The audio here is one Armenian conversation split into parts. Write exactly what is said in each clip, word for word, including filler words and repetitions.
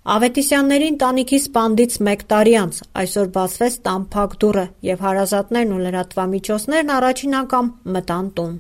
Ավետիսյանների ընտանիքի սպանդից մեկ տարի անց այսօր բացվեց տան փակ դուռը և հարազատներն ու լրատվամիջոցներն առաջին անգամ մտան տուն։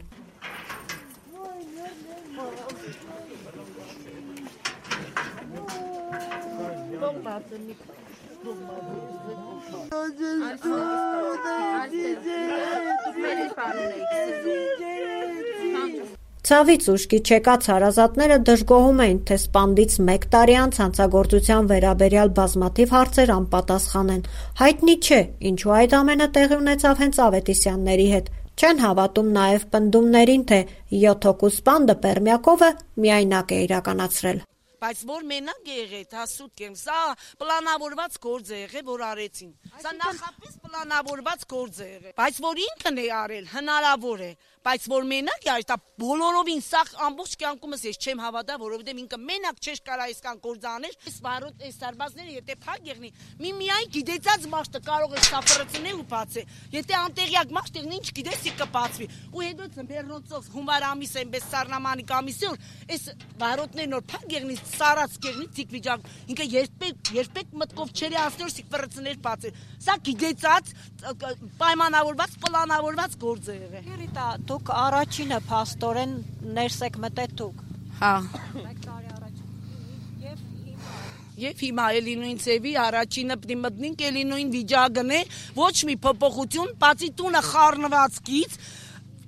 Ցավից ուշքի չեկած հարազատները դժգոհում էին, թե սպանդից մեկ տարի անց հանցագործության վերաբերյալ բազմաթիվ հարցեր անպատասխան են։ Հայտնի չէ, ինչու այդ ամենը տեղի ունեցավ հենց Ավետիսյանների հետ։ Չեն հավատում նաև պնդումներին, թե յոթ հոգու սպանդը Պերմյակովը միայնակ է իրականացրել։ Բայց որ մենակ է եղել, դա սուտ կեմ, սա պլանավորված գործ է եղել, որ արեցին։ Սա նախապես պլանավորված գործ է եղել, բայց որ ինքն է արել, հնարավոր է, բայց որ մենակ է արել, դա բոլորովին սա ամբողջ կյանքումս ես չեմ հավատա, որովհետև ինքը մենակ չէր կարա այսքան գործ անել։ Այս վարոտ այս սարբազները եթե փակ եղնի, մի միայն գիտեցած մարդը կարող է սափրացնել ու բացել։ Եթե անտեղյակ մարդ եղնի, ինչ գիտես, ի կբացվի։ Ու հետո ծմբերնոցով հունվար ամիս այնպես սառնամանիկ ամիսի որ այս վարոտներն որ փակ եղնի սարած կեղնի թիկվիճակ, ինքը երբեք երբեք մտքով չերի ասներ սիքվրացներ բացել։ Սա գիտեցած պայմանավորված, պլանավորված գործ է եղել։ Երիտա, դուք առաջինը փաստորեն ներս եք մտել դուք։ Հա։ Մեկ տարի առաջ։ Եվ հիմա Եվ հիմա էլի նույն ծևի առաջինը պիտի մտնենք, էլի նույն վիճակն է, ոչ մի փոփոխություն, բացի տունը խառնվածքից։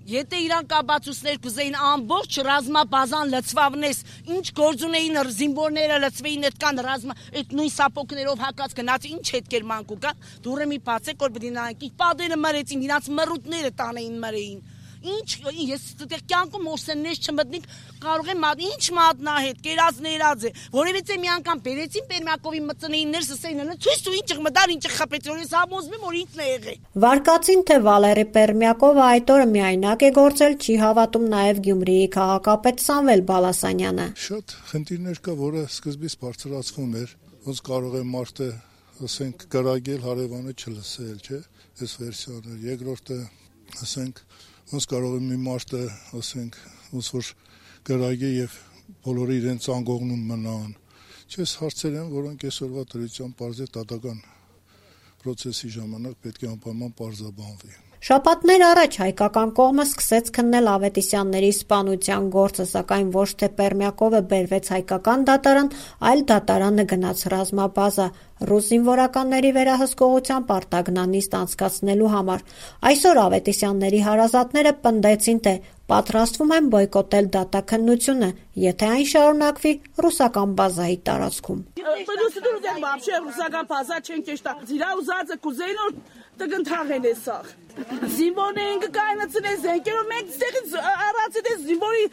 Եթե իրան կաբացուցներ կուզեին ամբողջ ռազմաբազան լցվավնես, ինչ գործ ունեին զինվորները լցվեին այդքան ռազմա, այդ նույն սապոկներով հակած գնաց, ինչ հետքեր մանկու կան, դուրը մի բացեք, որ պիտի նայենք, ինչ պատերը մրեցին, իրանց մռութները տանեին մրեին։ Ինչ ես դեռ կյանքում մոսեններ չմտնիկ կարող եմ ինչ մատնահետ կերած ներած է որևիցե մի անգամ բերեցին Պերմյակովի մծնեին ներս ասեին ցույց տու ինչ մտար ինչ խփեց որ ես համոզվում որ ինքն է եղել։ Վարկածին թե Վալերի Պերմյակովը այդ օրը միայնակ է գործել չի հավատում նաև Գյումրիի քաղաքապետ Սամվել Բալասանյանը։ Շատ խնդիրներ կա, որը սկզբից բարձրացվում էր, ոնց կարող է մարդը ասենք գրագել հարևանը չլսել, չէ՞, այս վերսիաները։ Երկրորդը ասենք ոնց կարող է մի մարդը, ասենք, ոնց որ գրագի եւ բոլորը իրենց անգողնում մնան։ Չես հարցեր են, որոնք այսօրվա դրությամբ բարձր դատական process-ի ժամանակ պետք է անպայման բարձրաբանվի։ Շաբաթներ առաջ հայկական կողմը սկսեց քննել Ավետիսյանների սպանության գործը, սակայն ոչ թե Պերմյակովը բերվեց հայկական դատարան, այլ դատարանը գնաց ռազմաբազա ռուս զինվորականների վերահսկողության պարտագնանիստ անցկացնելու համար։ Այսօր Ավետիսյանների հարազատները պնդեցին, թե պատրաստվում են բոյկոտել դատաքննությունը, եթե այն շարունակվի ռուսական բազայի տարածքում։ Տգնթաղեն է սաղ։ Զինվորներին կկայնացնել զենքերով, մենք ստեղից առացել ես զինվորի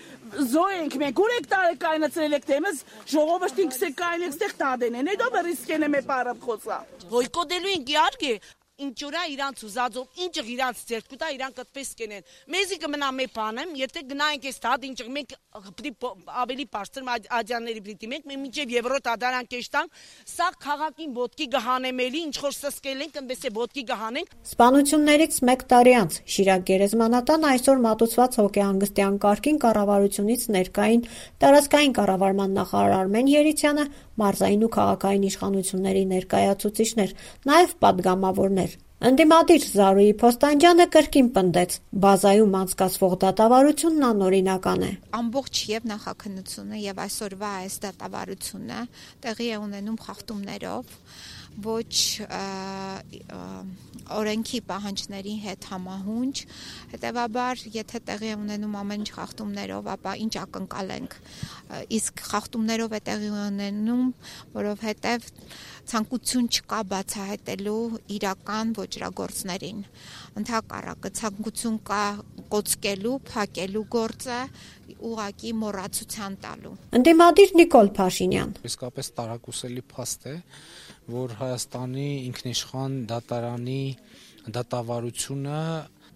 զոհ ենք, մենք ուր եք տարել կայնացրել եք, թեմս ժողովրդին կսեք կայնեք ստեղ տադեն են, հետո բրիսկեն եմ է պարապ խոցա։ Բոյկոտելու ենք իհարկե, ինչուրա իրանց ուզածով, ինչը իրանց ձեռք կտա, իրանք այդպես կենեն։ Մեզի կմնա մի բանեմ, եթե գնայինք այս դատ, ինչը մենք պիտի ավելի բարձր ադյանների պիտի մենք մինչև եվրո դատարան կեշտանք, սա քաղաքին ոտքի գահանեմելի, ինչ որ սսկել ենք, այնպես է ոտքի գահանենք։ Սպանություններից մեկ տարի անց Շիրակ գերեզմանատան այսօր մատուցված հոգեհանգստյան կարգին կառավարությունից ներկային տարածքային կառավարման նախարար Արմեն Երիցյանը, մարզային ու քաղաքային իշխանությունների ներկայացուցիչներ, նաև պատգամավորներ։ Ընդդիմադիր Զարուհի Փոստանջյանը կրկին պնդեց, բազայում անցկացվող դատավարությունն անօրինական է։ Ամբողջ եւ նախաքննությունը եւ այսօրվա այս դատավարությունը տեղի է ունենում խախտումներով, ոչ օրենքի պահանջների հետ համահունչ, հետևաբար եթե տեղի է ունենում ամեն ինչ խախտումներով, ապա ինչ ակնկալենք, իսկ խախտումներով է տեղի ունենում, որովհետև ցանկություն չկա բացահայտելու իրական ոճրագործներին, ընդհակառակը ցանկություն կա կոծկելու, փակելու գործը, ուղղակի մոռացության տալու։ Ընդդիմադիր Նիկոլ Փաշինյան։ Իսկապես տարակուսելի փաստ է, որ Հայաստանի ինքնիշխան դատարանի դատավարությունը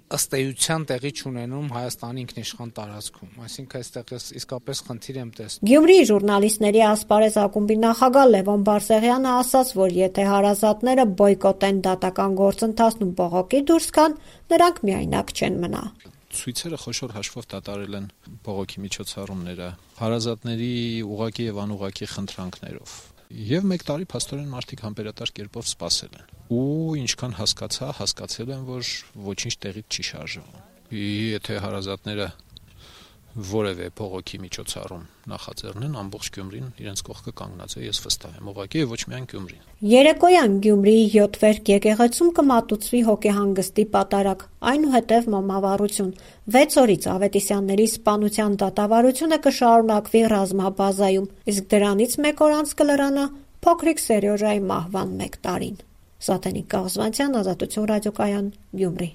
ըստ էության տեղի չունենում Հայաստանի ինքնիշխան տարածքում, այսինքն այստեղ իսկապես խնդիր եմ տեսնում։ Գյումրիի ժուրնալիստների ասպարեզ ակումբի նախագահ Լևոն Բարսեղյանը ասաց, որ եթե հարազատները բոյկոտեն դատական գործընթացն ու բողոքի դուրս գան, նրանք միայնակ չեն մնա։ Ցույցերը խոշոր հաշվով դատարել են բողոքի միջոցառումները հարազատների ուղղակի եւ անուղղակի խնդրանքներով։ Եվ մեկ տարի փաստորեն մարդիկ համբերատար կերպով սպասել են։ Ու ինչքան հասկացա, հասկացել են, որ ոչինչ տեղից չի շարժվում։ Եթե հարազատները որևէ փողոքի միջոցառում նախաձեռնեն, ամբողջ Գյումրին իրենց կողքը կանգնած է, ես վստահ եմ, ուղղակի ոչ միայն Գյումրին։ Երեկոյան Գյումրիի յոթ վերք եկեղեցում կմատուցվի հոգեհանգստի պատարագ, այնուհետև մոմավառություն։ վեց օրից Ավետիսյանների սպանության դատավարությունը կշարունակվի ռազմաբազայում, իսկ դրանից մեկ օր անց կլրանա փոքրիկ Սերյոժայի մահվան մեկ տարին։ Սաթենիկ Կաղզվանցյան, Ազատություն ռադիոկայան, Գյումրի։